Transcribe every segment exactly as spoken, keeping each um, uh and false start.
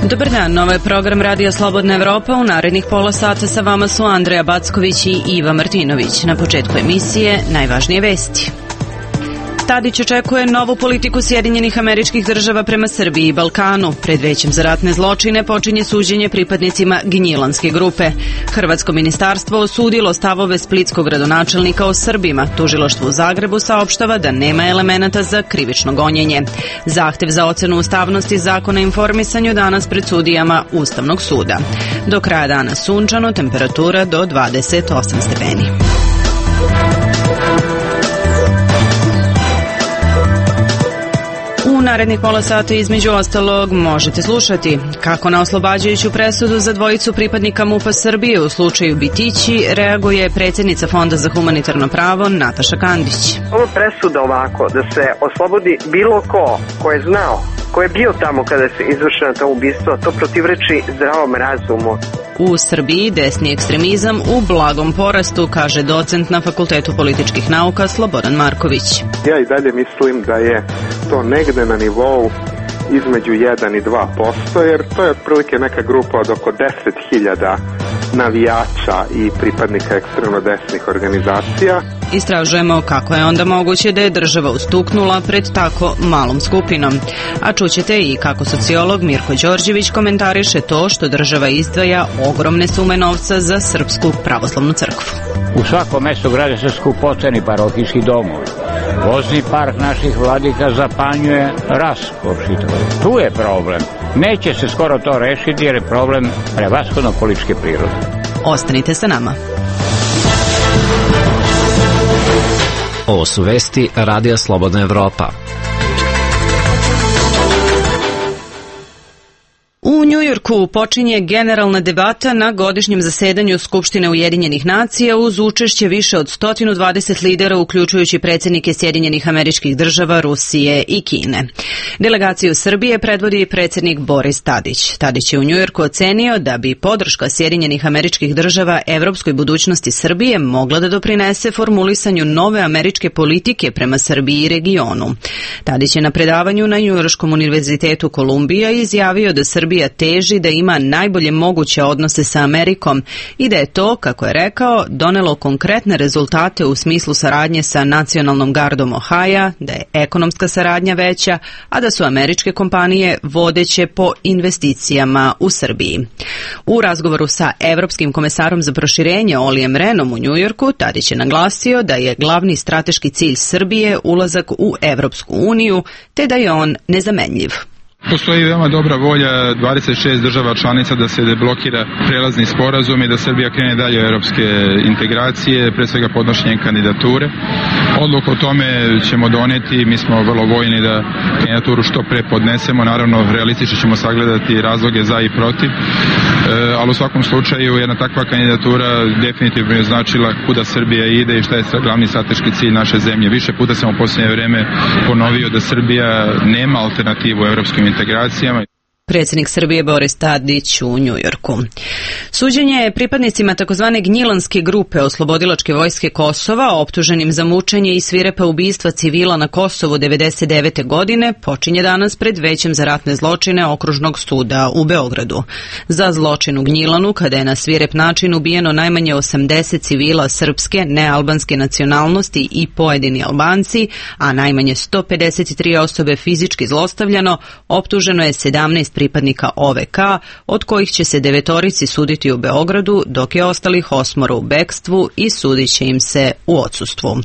Dobar dan, ovo je program Radija Slobodna Evropa. U narednih pola sata sa vama su Andreja Backović i Iva Martinović. Na početku emisije najvažnije vesti. Tadić očekuje novu politiku Sjedinjenih Američkih Država prema Srbiji i Balkanu. Pred Većem za ratne zločine počinje suđenje pripadnicima Gnjilanske grupe. Hrvatsko ministarstvo osudilo stavove splitskog gradonačelnika o Srbima. Tužilaštvo u Zagrebu saopštava da nema elemenata za krivično gonjenje. Zahtev za ocenu ustavnosti zakona o informisanju danas pred sudijama Ustavnog suda. Do kraja dana sunčano, temperatura do dvadeset osam stepeni. U narednih pola sata između ostalog možete slušati kako na oslobađajuću presudu za dvojicu pripadnika MUP-a Srbije u slučaju Bitići reaguje predsjednica Fonda za humanitarno pravo Nataša Kandić. Ova presuda ovako, da se oslobodi bilo ko ko je znao, ko je bio tamo kada se izvršeno to ubistvo, to protivreči zdravom razumu. U Srbiji desni ekstremizam u blagom porastu, kaže docent na Fakultetu političkih nauka Slobodan Marković. Ja i dalje mislim da je to negde na nivou između jedan i dva posto, jer to je otprilike neka grupa od oko deset hiljada navijača i pripadnika ekstremno desnih organizacija. Istražujemo kako je onda moguće da je država ustuknula pred tako malom skupinom. A čućete i kako sociolog Mirko Đorđević komentariše to što država izdvaja ogromne sume novca za Srpsku pravoslavnu crkvu. U svakom mestu grade se skupoceni parohijski domovi. Vozni park naših vladika zapanjuje raskop čitavog. Tu je problem. Neće se skoro to rešiti jer je problem prevashodno političke prirode. Ostanite sa nama. Ovo su vesti Radija Slobodna Evropa. U Njujorku počinje generalna debata na godišnjem zasedanju Skupštine Ujedinjenih nacija uz učešće više od sto dvadeset lidera, uključujući predsjednike Sjedinjenih Američkih Država, Rusije i Kine. Delegaciju Srbije predvodi predsjednik Boris Tadić. Tadić je u Njujorku ocenio da bi podrška Sjedinjenih Američkih Država evropskoj budućnosti Srbije mogla da doprinese formulisanju nove američke politike prema Srbiji i regionu. Tadić je na predavanju na Njujorškom univerzitetu Kolumbija izjavio da Srbija teži da ima najbolje moguće odnose sa Amerikom i da je to, kako je rekao, donelo konkretne rezultate u smislu saradnje sa Nacionalnom gardom Ohaja, da je ekonomska saradnja veća, a da su američke kompanije vodeće po investicijama u Srbiji. U razgovoru sa Evropskim komesarom za proširenje Olijem Renom u Njujorku, Tadić je naglasio da je glavni strateški cilj Srbije ulazak u Evropsku uniju, te da je on nezamenljiv. Postoji veoma dobra volja dvadeset šest država članica da se deblokira prelazni sporazum i da Srbija krene dalje u evropske integracije, pre svega podnošenjem kandidature. Odluku o tome ćemo doneti, mi smo vrlo voljni da kandidaturu što pre podnesemo, naravno realistično ćemo sagledati razloge za i protiv, e, ali u svakom slučaju jedna takva kandidatura definitivno je značila kuda Srbija ide i šta je glavni strateški cilj naše zemlje. Više puta sam u posljednje vreme ponovio da Srbija nema alternativu u evropskim integracijama. Predsjednik Srbije Boris Tadić u Njujorku. Suđenje pripadnicima takozvane Gnjilanske grupe oslobodilačke vojske Kosova, optuženim za mučenje i svirepa ubistva civila na Kosovu devedeset devete. godine, počinje danas pred Većem za ratne zločine Okružnog suda u Beogradu. Za zločin u Gnjilanu, kada je na svirep način ubijeno najmanje osamdeset civila srpske, nealbanske nacionalnosti i pojedini Albanci, a najmanje sto pedeset tri osobe fizički zlostavljano, optuženo je sedamnaest pripadnika O V K, od kojih će se devetorici suditi u Beogradu, dok je ostalih osmoro u bekstvu i sudit će im se u odsustvu.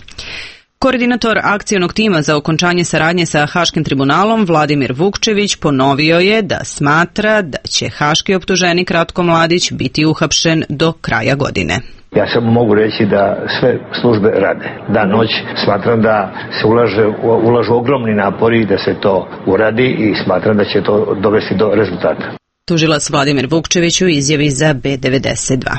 Koordinator akcionog tima za okončanje saradnje sa Haškim tribunalom Vladimir Vukčević ponovio je da smatra da će haški optuženik Ratko Mladić biti uhapšen do kraja godine. Ja samo mogu reći da sve službe rade. Dan noć smatram da se ulaže, ulažu ogromni napori da se to uradi i smatram da će to dovesti do rezultata. tužilac Vladimir Vukčević u izjavi za B devedeset dva.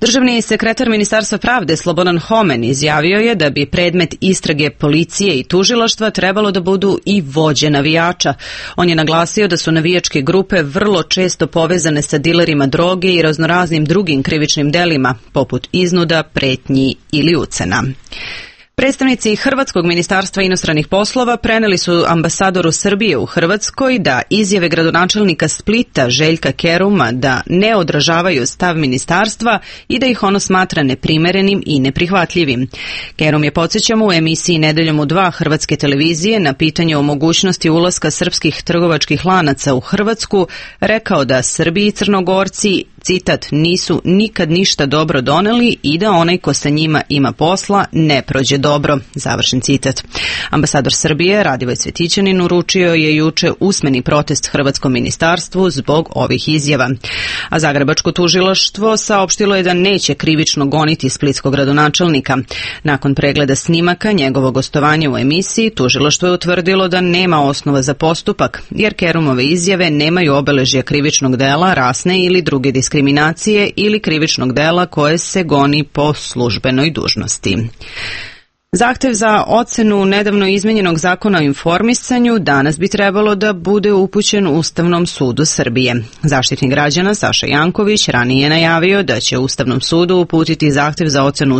Državni sekretar Ministarstva pravde Slobodan Homen izjavio je da bi predmet istrage policije i tužilaštva trebalo da budu i vođe navijača. On je naglasio da su navijačke grupe vrlo često povezane sa dilerima droge i raznoraznim drugim krivičnim delima, poput iznuda, pretnji ili ucena. Predstavnici Hrvatskog ministarstva inostranih poslova preneli su ambasadoru Srbije u Hrvatskoj da izjave gradonačelnika Splita Željka Keruma da ne odražavaju stav ministarstva i da ih ono smatra neprimerenim i neprihvatljivim. Kerum je, podsjećamo, u emisiji Nedeljom u dva Hrvatske televizije na pitanje o mogućnosti ulaska srpskih trgovačkih lanaca u Hrvatsku rekao da Srbi i Crnogorci, citat, nisu nikad ništa dobro doneli i da onaj ko sa njima ima posla ne prođe dobro, završen citat. Ambasador Srbije Radivoj Cvetićanin uručio je juče usmeni protest Hrvatskom ministarstvu zbog ovih izjava. A Zagrebačko tužilaštvo saopštilo je da neće krivično goniti splitskog gradonačelnika. Nakon pregleda snimaka njegovog gostovanja u emisiji, tužilaštvo je utvrdilo da nema osnova za postupak, jer Kerumove izjave nemaju obeležja krivičnog dela, rasne ili druge diskriminacije ili krivičnog dela koje se goni po službenoj dužnosti. Zahtev za ocenu nedavno izmenjenog zakona o informisanju danas bi trebalo da bude upućen Ustavnom sudu Srbije. Zaštitnik građana Saša Janković ranije je najavio da će Ustavnom sudu uputiti zahtev za ocenu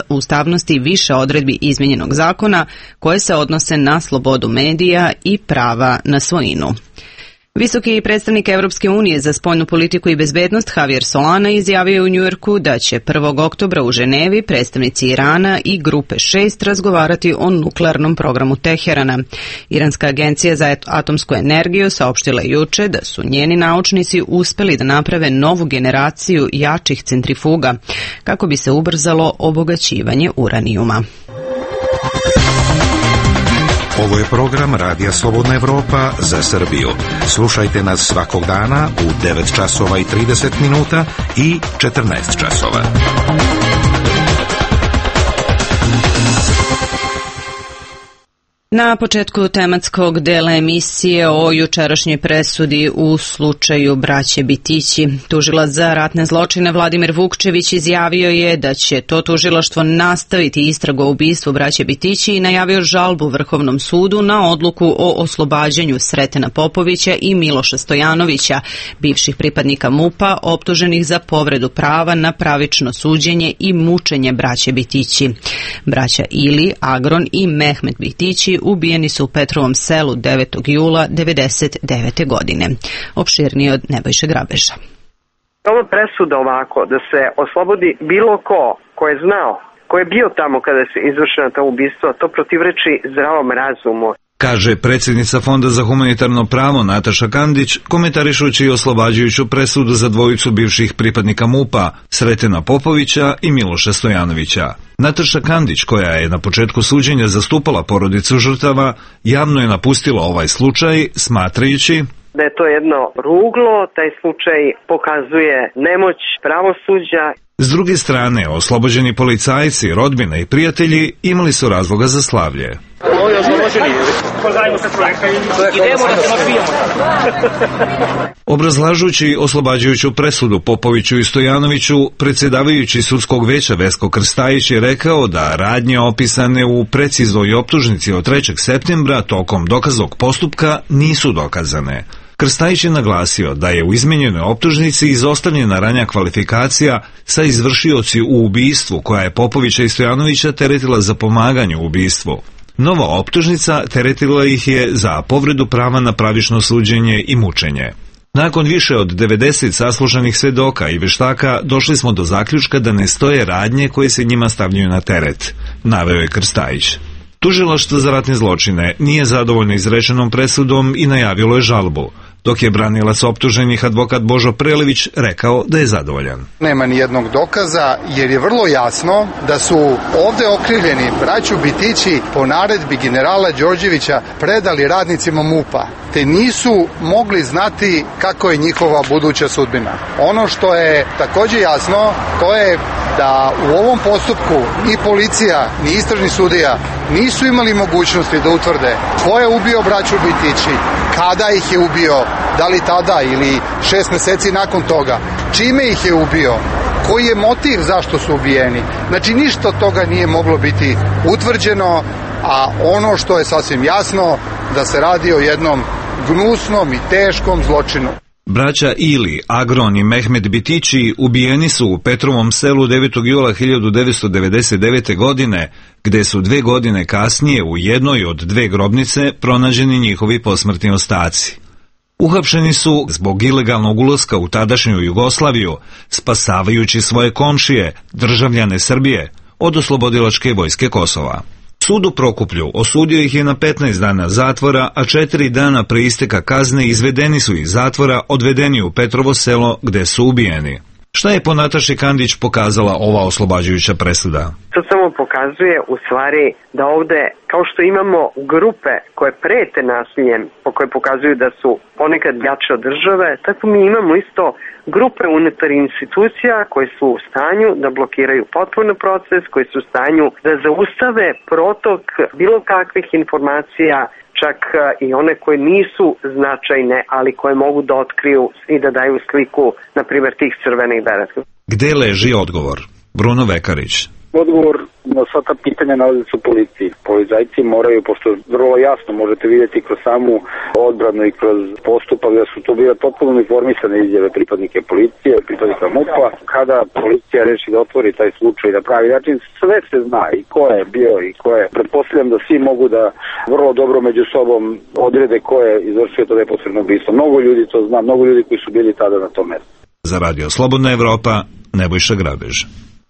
ustavnosti više odredbi izmenjenog zakona koje se odnose na slobodu medija i prava na svojinu. Visoki predstavnik Evropske unije za spoljnu politiku i bezbednost Javier Solana izjavio u Njujorku da će prvog oktobra u Ženevi predstavnici Irana i grupe šest razgovarati o nuklearnom programu Teherana. Iranska agencija za atomsku energiju saopštila juče da su njeni naučnici uspeli da naprave novu generaciju jačih centrifuga kako bi se ubrzalo obogaćivanje uranijuma. Ovo je program Radija Slobodna Evropa za Srbiju. Slušajte nas svakog dana u devet časova i trideset minuta i četrnaest časova. Na početku tematskog dela emisije o jučerašnjoj presudi u slučaju braće Bitići. Tužilac za ratne zločine Vladimir Vukčević izjavio je da će to tužilaštvo nastaviti istragu o ubistvu braće Bitići i najavio žalbu Vrhovnom sudu na odluku o oslobađanju Sretena Popovića i Miloša Stojanovića, bivših pripadnika MUP-a optuženih za povredu prava na pravično suđenje i mučenje braće Bitići. Braća Ili, Agron i Mehmet Bitići ubijeni su u Petrovom selu devetog jula devedeset devete. godine. Opširnije od Nebojše Grabeža. Ova presuda ovako, da se oslobodi bilo ko, ko je znao, ko je bio tamo kada se izvršena ta ubistva, to protivreči zdravom razumu. Kaže predsjednica Fonda za humanitarno pravo Nataša Kandić, komentarišući oslobađajuću presudu za dvojicu bivših pripadnika MUP-a, Sretena Popovića i Miloša Stojanovića. Nataša Kandić, koja je na početku suđenja zastupala porodicu žrtava, javno je napustila ovaj slučaj, smatrajući da je to jedno ruglo, taj slučaj pokazuje nemoć pravosuđa. S druge strane, oslobođeni policajci, rodbina i prijatelji imali su razloga za slavlje. Ovi oslobođeni, pozdravimo se čovjeka, idemo da se napijemo. Obrazlažući oslobađajuću presudu Popoviću i Stojanoviću, predsjedavajući sudskog veća Vesko Krstajić je rekao da radnje opisane u preciznoj optužnici od trećeg septembra tokom dokaznog postupka nisu dokazane. Krstajić je naglasio da je u izmenjenoj optužnici izostavljena ranja kvalifikacija sa izvršioci u ubistvu koja je Popovića i Stojanovića teretila za pomaganje u ubistvu. Nova optužnica teretila ih je za povredu prava na pravično suđenje i mučenje. Nakon više od devedeset saslušanih svedoka i veštaka došli smo do zaključka da ne stoje radnje koje se njima stavljaju na teret, naveo je Krstajić. Tužilaštvo za ratne zločine nije zadovoljno izrečenom presudom i najavilo je žalbu, dok je branilac optuženih advokat Božo Prelević rekao da je zadovoljan. Nema ni jednog dokaza jer je vrlo jasno da su ovde okrivljeni braću Bitići po naredbi generala Đorđevića predali radnicima MUP-a, te nisu mogli znati kako je njihova buduća sudbina. Ono što je takođe jasno, to je da u ovom postupku i policija, ni istražni sudija nisu imali mogućnosti da utvrde ko je ubio braću Bitići, kada ih je ubio, da li tada ili šest meseci nakon toga, čime ih je ubio, koji je motiv zašto su ubijeni. Znači ništa od toga nije moglo biti utvrđeno, a ono što je sasvim jasno da se radi o jednom gnusnom i teškom zločinu. Braća Ili, Agron i Mehmed Bitići ubijeni su u Petrovom selu devetog jula hiljadu devetsto devedeset devete. godine, gde su dve godine kasnije u jednoj od dve grobnice pronađeni njihovi posmrtni ostaci. Uhapšeni su zbog ilegalnog ulaska u tadašnju Jugoslaviju, spasavajući svoje komšije, državljane Srbije, od oslobodilačke vojske Kosova. Sud u Prokuplju osudio ih je na petnaest dana zatvora, a četiri dana pre isteka kazne izvedeni su iz zatvora, odvedeni u Petrovo selo gde su ubijeni. Šta je po Nataši Kandić pokazala ova oslobađajuća presuda? To samo pokazuje u stvari da ovde, kao što imamo grupe koje prete nasiljem, po koje pokazuju da su ponekad jače od države, tako mi imamo isto grupe unutar institucija koje su u stanju da blokiraju potpuno proces, koji su u stanju da zaustave protok bilo kakvih informacija, čak i one koje nisu značajne, ali koje mogu da otkriju i da daju sliku, na primjer, tih crvenih bereta. Gde leži odgovor? Bruno Vekarić. Odgovor na sva ta pitanja nalazi se u policiji. Policajci moraju, pošto vrlo jasno možete vidjeti kroz samu odbranu i kroz postupak da su to bile potpuno informisane izjave pripadnike policije, pripadnika MUP-a. Kada policija reši da otvori taj slučaj na pravi način, sve se zna i ko je bio i ko je. Pretpostavljam da svi mogu da vrlo dobro među sobom odrede ko je izvršio to neposredno ubistvo. Mnogo ljudi to zna, mnogo ljudi koji su bili tada na tom mestu. Za Radio Slobodna Evropa, Nebojša Grabež.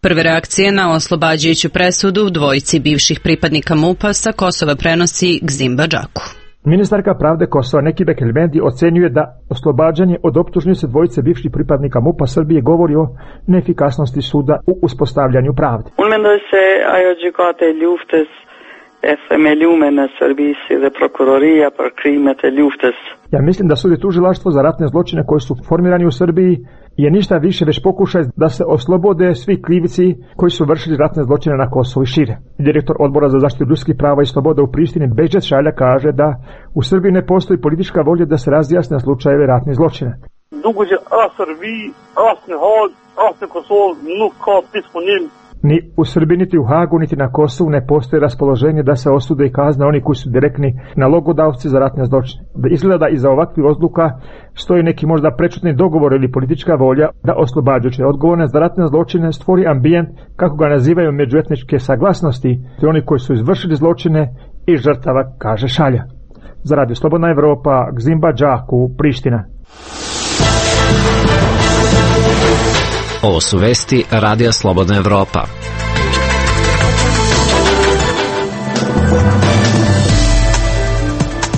Prve reakcije na oslobađajuću presudu dvojici bivših pripadnika MUP-a sa Kosova prenosi Gzimba Džaku. Ministarka pravde Kosova Neki Bekelmendi ocenjuje da oslobađanje od optužnice dvojice bivših pripadnika MUP-a Srbije govori o neefikasnosti suda u uspostavljanju pravde. Unë mendoj se ajo gjykata e luftës e themelume në Serbisë dhe prokuroria për krimet e luftës. Ja mislim da sud i tužilaštvo za ratne zločine koji su formirani u Srbiji je ništa više već pokušaj da se oslobode svi krivici koji su vršili ratne zločine na Kosovu i šire. Direktor Odbora za zaštitu ljudskih prava i sloboda u Prištini Bejđet Šalja kaže da u Srbiji ne postoji politička volja da se razjasne slučajeve ratnih zločina. Duke që as Serbi, as në Hag, as në Kosovë nuk ka disponibil. Ni u Srbiji, niti u Hagu, niti na Kosovu ne postoji raspoloženje da se osude i kazne oni koji su direktni nalogodavci za ratne zločine. Da izgleda da iza ovakvih odluka stoji neki možda prečutni dogovor ili politička volja da oslobađajuće odgovorne za ratne zločine stvori ambijent, kako ga nazivaju, međuetničke saglasnosti, te oni koji su izvršili zločine i žrtava, kaže Šalja. Za Radio Slobodna Evropa, Gzimba Džaku, Priština. Ovo su vesti Radija Slobodna Evropa.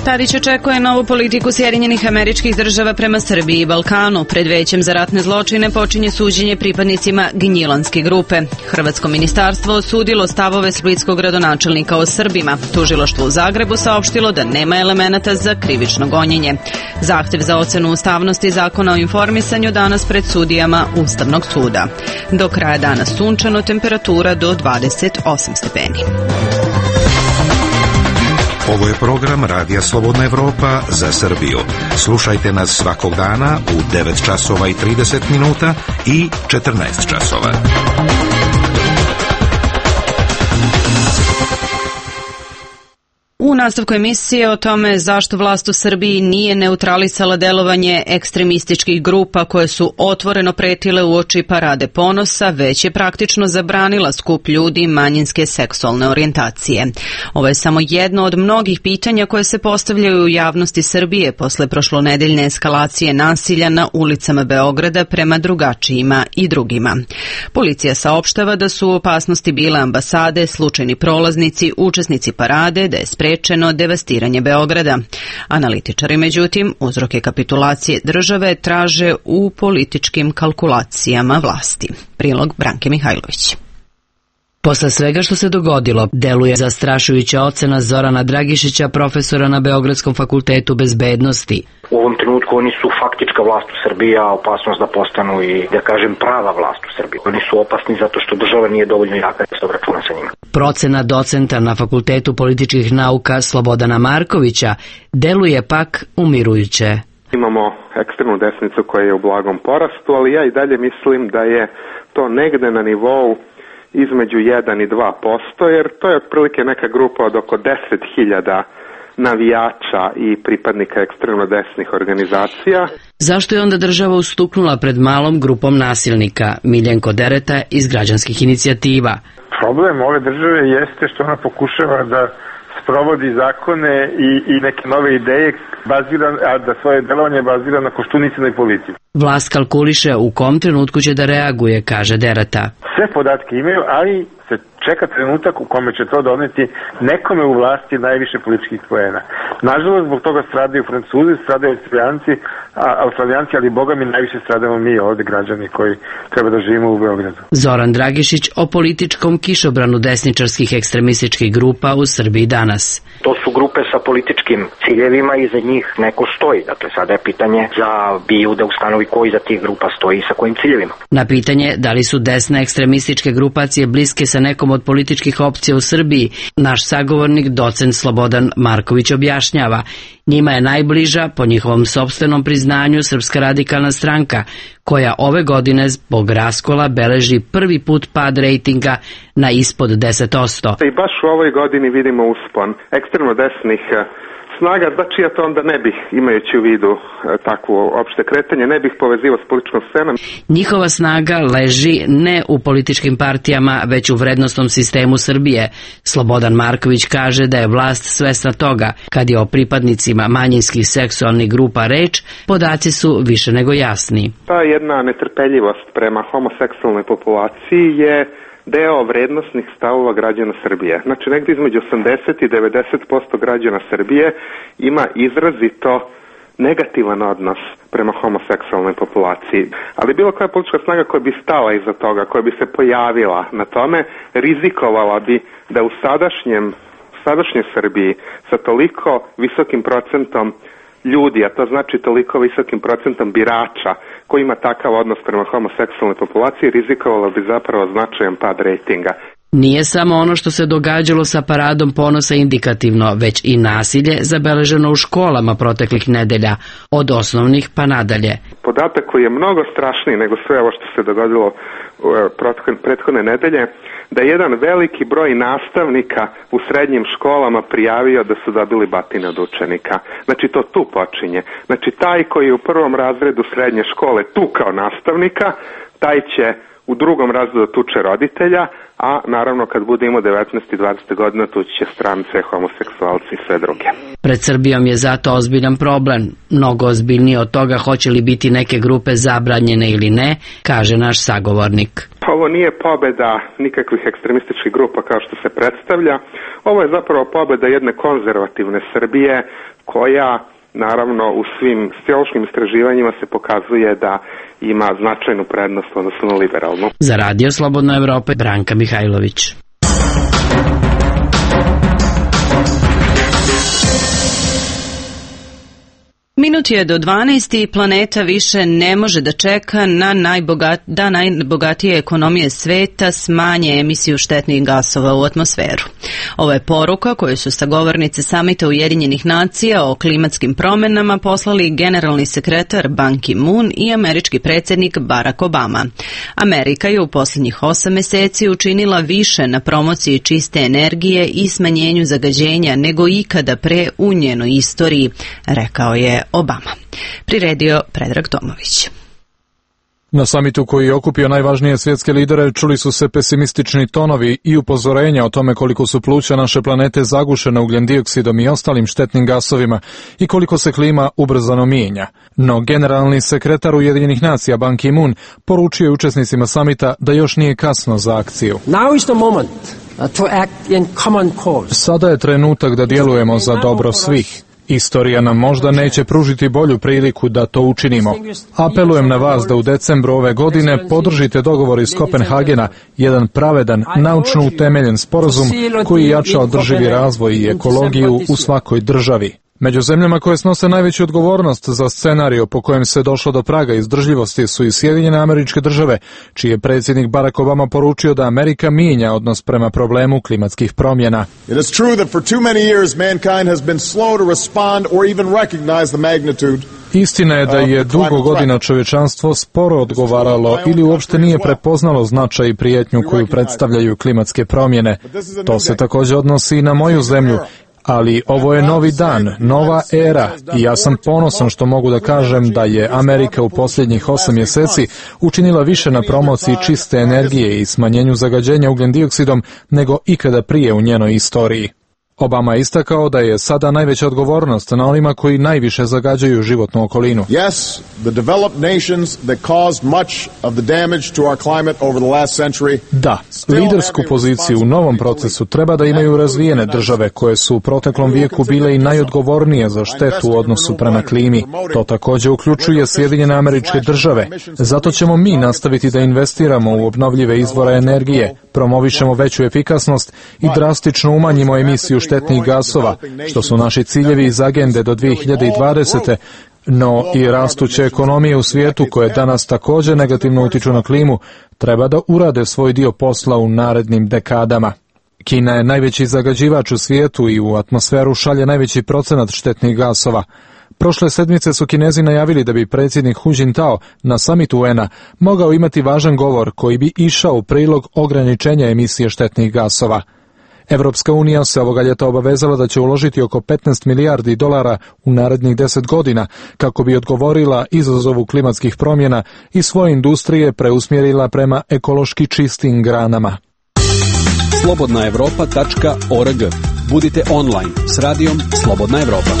Tadić očekuje novu politiku Sjedinjenih Američkih Država prema Srbiji i Balkanu. Pred Većem za ratne zločine počinje suđenje pripadnicima Gnjilanske grupe. Hrvatsko ministarstvo osudilo stavove splitskog gradonačelnika o Srbima. Tužilaštvo u Zagrebu saopštilo da nema elemenata za krivično gonjenje. Zahtev za ocenu ustavnosti Zakona o informisanju danas pred sudijama Ustavnog suda. Do kraja dana sunčano, temperatura do dvadeset osam stepeni. Ovo je program Radija Slobodna Evropa za Srbiju. Slušajte nas svakog dana u devet časova i trideset minuta i četrnaest časova. U nastavku emisije o tome zašto vlast u Srbiji nije neutralisala delovanje ekstremističkih grupa koje su otvoreno pretile uoči Parade ponosa, već je praktično zabranila skup ljudi manjinske seksualne orijentacije. Ovo je samo jedno od mnogih pitanja koje se postavljaju u javnosti Srbije posle prošlonedeljne eskalacije nasilja na ulicama Beograda prema drugačijima i drugima. Policija saopštava da su u opasnosti bile ambasade, slučajni prolaznici, učesnici parade, da je sprečeno devastiranje Beograda. Analitičari, međutim, uzroke kapitulacije države traže u političkim kalkulacijama vlasti. Prilog Branke Mihajlović. Posle svega što se dogodilo, deluje zastrašujuća ocena Zorana Dragišića, profesora na Beogradskom fakultetu bezbednosti. U ovom trenutku oni su faktička vlast u Srbiji, a opasnost da postanu i, da kažem, prava vlast u Srbiji. Oni su opasni zato što država nije dovoljno jaka da se obračuna sa njima. Procena docenta na Fakultetu političkih nauka Slobodana Markovića deluje pak umirujuće. Imamo ekstremnu desnicu koja je u blagom porastu, ali ja i dalje mislim da je to negde na nivou između jedan i dva posto, jer to je otprilike neka grupa od oko deset hiljada navijača i pripadnika ekstremno desnih organizacija. Zašto je onda država ustuknula pred malom grupom nasilnika? Miljenko Dereta iz Građanskih inicijativa. Problem ove države jeste što ona pokušava da sprovodi zakone i, i neke nove ideje, bazira, a da svoje delovanje bazira na koštunicinoj politici. Vlast kalkuliše u kom trenutku će da reaguje, kaže Dereta. Sve podatke imaju, ali se čeka trenutak u kome će to doneti nekome u vlasti najviše političkih poena. Nažalost, zbog toga stradaju Francuzi, stradaju Australijanci, a Australijanci, ali boga mi najviše stradamo mi ovde građani koji treba da živimo u Beogradu. Zoran Dragišić o političkom kišobranu desničarskih ekstremističkih grupa u Srbiji danas. To su grupe sa političkim ciljevima i za njih neko stoji. Dakle, sada je pitanje za BIA da ustanovi koji za tih grupa stoji i sa kojim ciljevima. Na pitanje da li su desne ekstremističke grupacije bliske sa nekom od političkih opcija u Srbiji, naš sagovornik docent Slobodan Marković objašnjava. Njima je najbliža, po njihovom sopstvenom priznanju, Srpska radikalna stranka, koja ove godine zbog raskola beleži prvi put pad rejtinga na ispod deset posto. I baš u ovoj godini vidimo uspon ekstremno desnih snaga, znači ja to onda ne bih, imajući u vidu takvo opšte kretanje, ne bih povezivao s političkom scenom. Njihova snaga leži ne u političkim partijama, već u vrednostnom sistemu Srbije. Slobodan Marković kaže da je vlast svesna toga. Kad je o pripadnicima manjinskih seksualnih grupa reč, podaci su više nego jasni. Ta jedna netrpeljivost prema homoseksualnoj populaciji je deo vrednostnih stavova građana Srbije. Znači, negdje između osamdeset i devedeset posto građana Srbije ima izrazito negativan odnos prema homoseksualnoj populaciji. Ali bilo koja politička snaga koja bi stala iza toga, koja bi se pojavila na tome, rizikovala bi da u sadašnjem, sadašnjoj Srbiji sa toliko visokim procentom ljudi, a to znači toliko visokim procentom birača koji ima takav odnos prema homoseksualnoj populaciji, rizikovalo bi zapravo značajan pad rejtinga. Nije samo ono što se događalo sa paradom ponosa indikativno, već i nasilje zabeleženo u školama proteklih nedelja, od osnovnih pa nadalje. Podatak koji je mnogo strašniji nego sve ovo što se dogodilo prethodne nedelje, da je jedan veliki broj nastavnika u srednjim školama prijavio da su dobili batine od učenika. Znači to tu počinje. Znači taj koji je u prvom razredu srednje škole tukao nastavnika, taj će u drugom razredu tuče roditelja, a naravno kad bude imao devetnaest i dvadeset godina tući će strance, homoseksualci i sve druge. Pred Srbijom je zato ozbiljan problem. Mnogo ozbiljnije od toga hoće li biti neke grupe zabranjene ili ne, kaže naš sagovornik. Ovo nije pobeda nikakvih ekstremističkih grupa kao što se predstavlja. Ovo je zapravo pobeda jedne konzervativne Srbije koja naravno u svim sociološkim istraživanjima se pokazuje da ima značajnu prednost odnosno na liberalnu. Za Radio Slobodna Evropa, Branka Mihajlović. Minut je do dvanaest i planeta više ne može da čeka na najbogat, da najbogatije ekonomije sveta smanje emisiju štetnih gasova u atmosferu. Ovo je poruka koju su sagovornice Samita Ujedinjenih nacija o klimatskim promenama poslali generalni sekretar Ban Ki-moon i američki predsjednik Barack Obama. Amerika je u posljednjih osam meseci učinila više na promociji čiste energije i smanjenju zagađenja nego ikada pre u njenoj istoriji, rekao je Obama. Priredio Predrag Tomović. Na samitu koji je okupio najvažnije svjetske lidere čuli su se pesimistični tonovi i upozorenja o tome koliko su pluća naše planete zagušena ugljendioksidom i ostalim štetnim gasovima i koliko se klima ubrzano mijenja. No generalni sekretar Ujedinjenih nacija Ban Ki-moon poručio je učesnicima samita da još nije kasno za akciju. Now is the moment to act in common cause. Sada je trenutak da djelujemo za dobro svih. Istorija nam možda neće pružiti bolju priliku da to učinimo. Apelujem na vas da u decembru ove godine podržite dogovor iz Kopenhagena, jedan pravedan, naučno utemeljen sporazum koji jača održivi razvoj i ekologiju u svakoj državi. Među zemljama koje snose najveću odgovornost za scenariju po kojem se došlo do praga izdržljivosti su i Sjedinjene Američke Države, čiji je predsjednik Barack Obama poručio da Amerika mijenja odnos prema problemu klimatskih promjena. It is true that for too many years mankind has been slow to respond or even recognize the magnitude. Istina je da je dugo godina čovječanstvo sporo odgovaralo ili uopšte nije prepoznalo značaj i prijetnju koju predstavljaju klimatske promjene. To se također odnosi i na moju zemlju. Ali ovo je novi dan, nova era i ja sam ponosan što mogu da kažem da je Amerika u posljednjih osam mjeseci učinila više na promociji čiste energije i smanjenju zagađenja ugljen dioksidom nego ikada prije u njenoj istoriji. Obama je istakao da je sada najveća odgovornost na onima koji najviše zagađuju životnu okolinu. Yes, the developed nations that caused much of the damage to our climate over the last century. Da, lidersku poziciju u novom procesu treba da imaju razvijene države koje su u proteklom vijeku bile i najodgovornije za štetu u odnosu prema klimi. To također uključuje Sjedinjene Američke Države. Zato ćemo mi nastaviti da investiramo u obnovljive izvore energije, promovišemo veću efikasnost i drastično umanjimo emisiju štetnih gasova, što su naši ciljevi iz agende do dvije hiljade dvadesete. No i rastuće ekonomije u svijetu koje danas također negativno utiču na klimu treba da urade svoj dio posla u narednim dekadama. Kina je najveći zagađivač u svijetu i u atmosferu šalje najveći procenat štetnih gasova. Prošle sedmice su Kinezi najavili da bi predsjednik Hu Jintao na samitu U N A mogao imati važan govor koji bi išao u prilog ograničenja emisije štetnih gasova. Evropska unija se ovoga ljeta obavezala da će uložiti oko petnaest milijardi dolara u narednih deset godina kako bi odgovorila izazovu klimatskih promjena i svoje industrije preusmjerila prema ekološki čistim granama. slobodna evropa tačka org. Budite online s radijom Slobodna Evropa.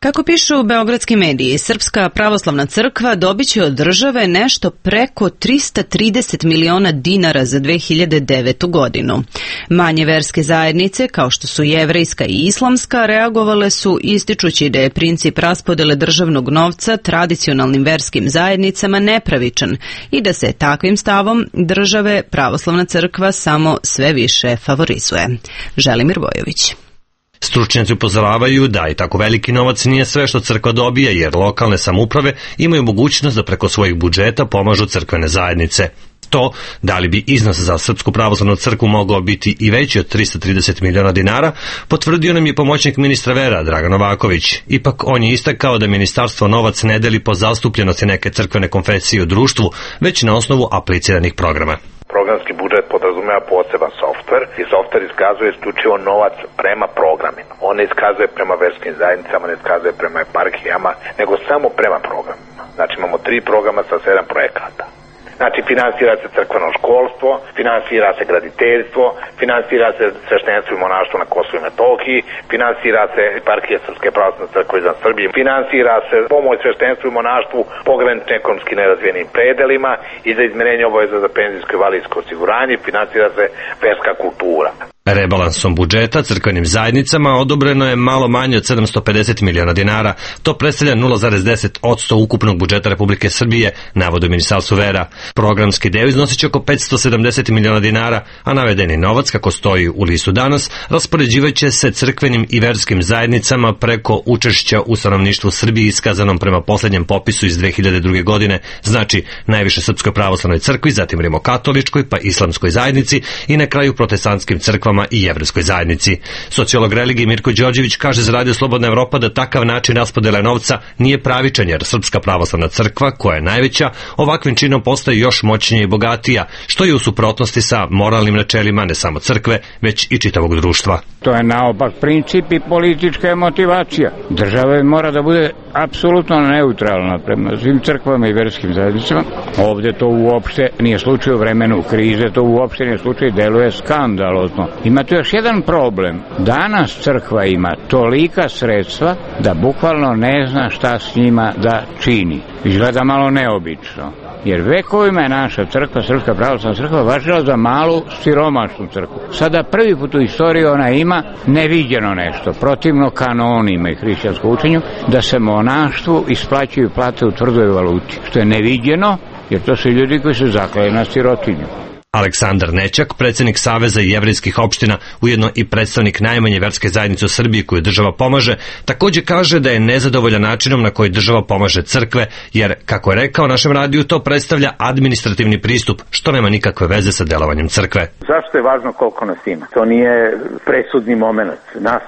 Kako pišu beogradski mediji, Srpska pravoslavna crkva dobit će od države nešto preko trista trideset miliona dinara za dve hiljade devetu godinu. Manje verske zajednice, kao što su jevrejska i islamska, reagovale su ističući da je princip raspodele državnog novca tradicionalnim verskim zajednicama nepravičan i da se takvim stavom države pravoslavna crkva samo sve više favorizuje. Želimir Bojović. Stručnjaci upozoravaju da i tako veliki novac nije sve što crkva dobija, jer lokalne samouprave imaju mogućnost da preko svojih budžeta pomažu crkvene zajednice. To, da li bi iznos za Srpsku pravoslavnu crkvu mogao biti i veći od trista trideset miliona dinara, potvrdio nam je pomoćnik ministra vera Dragan Novaković. Ipak on je istakao da ministarstvo novac ne deli po zastupljenosti neke crkvene konfesije u društvu, već na osnovu apliciranih programa. Programski budžet podrazumeva poseban softver i softver iskazuje isključivo novac prema programima. On ne iskazuje prema verskim zajednicama, ne iskazuje prema eparhijama, nego samo prema programima. Znači imamo tri programa sa sedam projekata. Znači, finansira se crkveno školstvo, finansira se graditeljstvo, finansira se sveštenstvo i monaštvo na Kosovu i Metohiji, finansira se eparhija Srpske pravoslavne crkve izvan Srbije, finansira se pomoć sveštenstvu i monaštvu pogranično ekonomski nerazvijenim predelima i za izmenjenje obaveza za penzijsko i invalidsko osiguranje, finansira se verska kultura. Rebalansom budžeta crkvenim zajednicama odobreno je malo manje od sedamsto pedeset miliona dinara. To predstavlja nula zarez deset posto ukupnog budžeta Republike Srbije, navodi Ministarstvo vera. Programski deo iznosit će oko petsto sedamdeset miliona dinara, a navedeni novac, kako stoji u listu danas, raspoređivaće se crkvenim i verskim zajednicama preko učešća u stanovništvu Srbije iskazanom prema posljednjem popisu iz dve hiljade druge. godine, znači najviše Srpskoj pravoslavnoj crkvi, zatim rimokatoličkoj, pa islamskoj zajednici i na kraju protestantskim crkvama i jevrejskoj zajednici. Sociolog religije Mirko Đorđević kaže za Radio Slobodna Evropa da takav način raspodele novca nije pravičan, jer Srpska pravoslavna crkva, koja je najveća, ovakvim činom postaje još moćnija i bogatija, što je u suprotnosti sa moralnim načelima ne samo crkve, već i čitavog društva. To je naopak princip i politička motivacija. Država mora da bude apsolutno neutralna prema svim crkvama i verskim zajednicama. Ovdje to uopšte nije slučaj u vremenu krize, to uopšte nije slučaj, deluje skandalozno. Ima tu još jedan problem. Danas crkva ima tolika sredstva da bukvalno ne zna šta s njima da čini. Izgleda malo neobično. Jer vekovima je naša crkva, Srpska pravoslavna crkva, važila za malu siromašnu crkvu. Sada prvi put u istoriji ona ima neviđeno nešto, protivno kanonima i hrišćanskom učenju, da se monaštvu isplaćuju plate u tvrdoj valuti, što je neviđeno, jer to su ljudi koji se zaklali na sirotinju. Aleksandar Nećak, predsjednik Saveza jevrejskih opština, ujedno i predstavnik najmanje verske zajednice u Srbiji koju država pomaže, također kaže da je nezadovoljan načinom na koji država pomaže crkve, jer, kako je rekao našem radiju, to predstavlja administrativni pristup, što nema nikakve veze sa delovanjem crkve. Zašto je važno koliko nas ima? To nije presudni moment. Nas,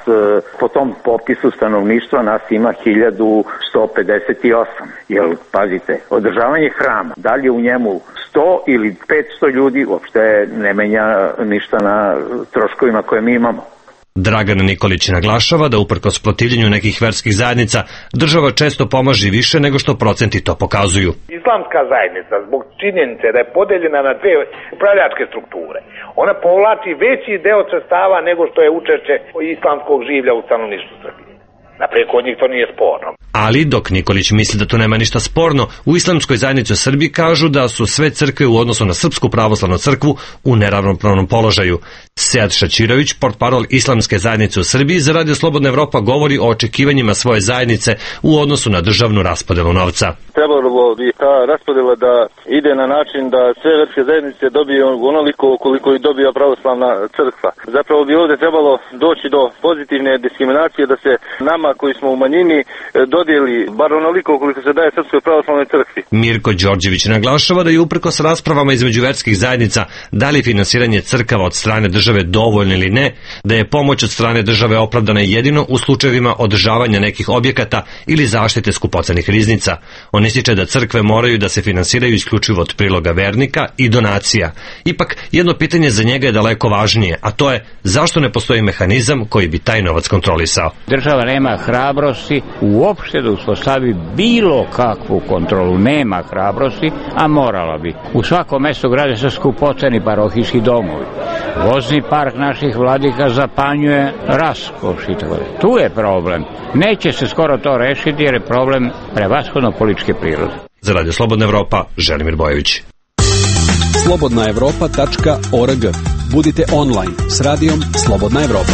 po tom popisu stanovništva, nas ima hiljadu sto pedeset osam. Jer, pazite, održavanje hrama, dalje u njemu sto ili petsto ljudi uopšte ne menja ništa na troškovima koje mi imamo. Dragan Nikolić naglašava da uprkos protivljenju nekih verskih zajednica država često pomaže više nego što procenti to pokazuju. Islamska zajednica zbog činjenice da je podeljena na dve upravljačke strukture, ona povlači veći deo sredstava nego što je učešće islamskog življa u stanovništvu Srbije. Naprijed, kod njih to nije sporno. Ali, dok Nikolić misli da tu nema ništa sporno, u Islamskoj zajednici u Srbiji kažu da su sve crkve u odnosu na Srpsku pravoslavnu crkvu u neravnopravnom položaju. Sead Šačirović, portparol Islamske zajednice u Srbiji, za Radio Slobodna Evropa govori o očekivanjima svoje zajednice u odnosu na državnu raspodelu novca. Trebalo bi ta raspodela da ide na način da sve verske zajednice dobiju onoliko koliko i dobija pravoslavna crkva. Zapravo bi ovdje trebalo doći do pozitivne diskriminacije, da se nama koji smo u manjini dodijeli bar onoliko koliko se daje Srpskoj pravoslavnoj crkvi. Mirko Đorđević naglašava da je uprkos raspravama između verskih zajednica da li finansiranje crkava od strane države dovoljno ili ne, da je pomoć od strane države opravdana jedino u slučajevima održavanja nekih objekata ili zaštite skupocenih riznica. On ističe da crkve moraju da se finansiraju isključivo od priloga vernika i donacija. Ipak, jedno pitanje za njega je daleko važnije, a to je zašto ne postoji mehanizam koji bi taj novac kontrolisao. Država nema hrabrosti uopšte da uspostavi bilo kakvu kontrolu, nema hrabrosti, a morala bi. U svakom mestu grade se skupoceni parohijski domovi. Vozni park naših vladika zapanjuje raskoš i tako. Tu je problem. Neće se skoro to rešiti jer je problem prevashodno političke prirode. Za Radio Slobodna Evropa, Želimir Bojović. slobodna evropa tačka org. Budite online s radijom Slobodna Evropa.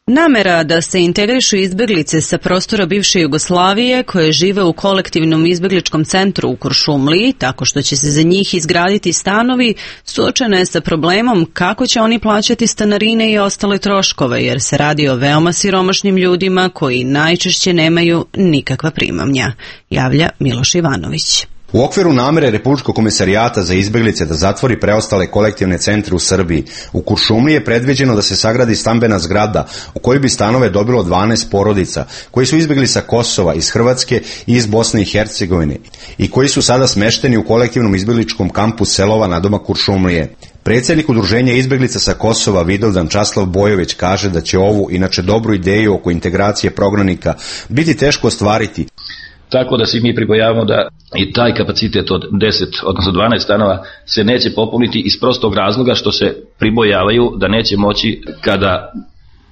Namera da se integrišu izbeglice sa prostora bivše Jugoslavije koje žive u kolektivnom izbegličkom centru u Kuršumliji, tako što će se za njih izgraditi stanovi, suočena je sa problemom kako će oni plaćati stanarine i ostale troškove, jer se radi o veoma siromašnim ljudima koji najčešće nemaju nikakva primanja, javlja Miloš Ivanović. U okviru namere Republičkog komisarijata za izbeglice da zatvori preostale kolektivne centre u Srbiji, u Kuršumliji je predviđeno da se sagradi stambena zgrada u kojoj bi stanove dobilo dvanaest porodica koji su izbegli sa Kosova, iz Hrvatske i iz Bosne i Hercegovine i koji su sada smešteni u kolektivnom izbegličkom kampu Selova na doma Kuršumlije. Predsjednik udruženja izbeglica sa Kosova Vidovdan Časlav Bojović kaže da će ovu, inače dobru ideju oko integracije prognanika, biti teško ostvariti. Tako da se mi pribojavamo da i taj kapacitet od deset, odnosno dvanaest stanova se neće popuniti iz prostog razloga što se pribojavaju da neće moći kada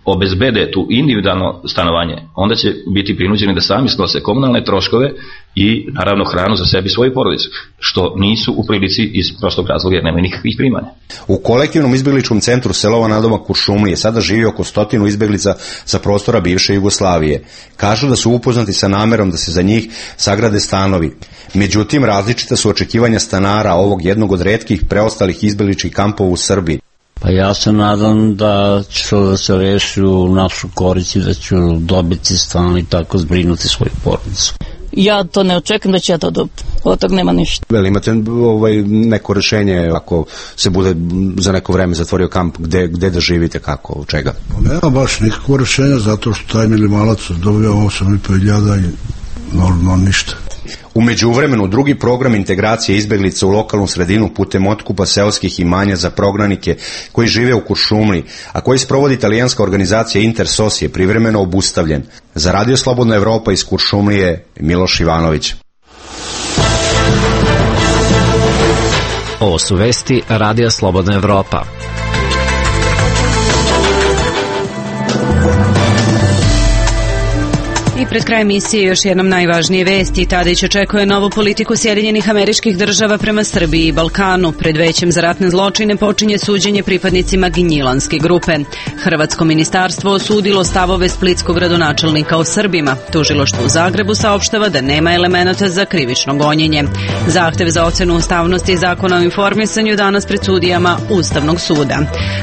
obezbede tu individualno stanovanje, onda će biti prinuđeni da sami snose komunalne troškove i naravno hranu za sebi i svoju porodicu, što nisu u prilici iz prostog razloga jer nemaju nikakvih primanja. U kolektivnom izbegličkom centru Selova na doma Kuršumlije sada živi oko stotinu izbeglica sa prostora bivše Jugoslavije. Kažu da su upoznati sa namerom da se za njih sagrade stanovi. Međutim, različita su očekivanja stanara ovog jednog od retkih preostalih izbegličkih kampova u Srbiji. Pa ja se nadam da će to da se reši u našu korist i da ću dobiti stan i tako zbrinuti svoju porodicu. Ja to ne očekujem da će ja to dobiti. Od toga nema ništa. Veli, imate ovaj, neko rešenje ako se bude za neko vreme zatvorio kamp, gde, gde da živite, kako, od čega? Nema baš nikakvo rešenja zato što taj minimalac dobio osam i po hiljada i normalno ništa. U međuvremenu drugi program integracije izbeglica u lokalnu sredinu putem otkupa seoskih imanja za prognanike koji žive u Kuršumliji, a koji sprovodi italijanska organizacija Intersos je privremeno obustavljen. Za Radio Slobodna Evropa iz Kuršumlije, Miloš Ivanović. Ovo su vesti Radija Slobodna Evropa. I pred kraj emisije još jednom najvažnije vesti. Tadić očekuje novu politiku Sjedinjenih Američkih Država prema Srbiji i Balkanu. Pred Većem za ratne zločine počinje suđenje pripadnicima Gnjilanske grupe. Hrvatsko ministarstvo osudilo stavove splitskog gradonačelnika o Srbima. Tužilaštvo u Zagrebu saopštava da nema elemenata za krivično gonjenje. Zahtev za ocenu ustavnosti Zakona o informisanju danas pred sudijama Ustavnog suda.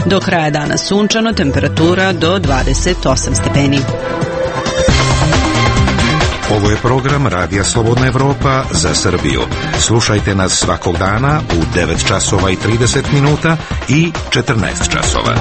Do kraja dana sunčano, temperatura do dvadeset osam stepeni. Ovo je program Radija Slobodna Evropa za Srbiju. Slušajte nas svakog dana u devet časova i trideset minuta i četrnaest časova.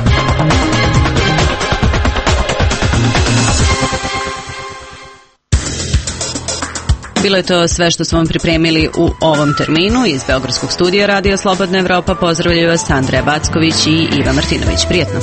Bilo je to sve što smo vam pripremili u ovom terminu. Iz Beogradskog studija Radija Slobodna Evropa pozdravljaju vas Andreja Backović i Iva Martinović. Prijetno!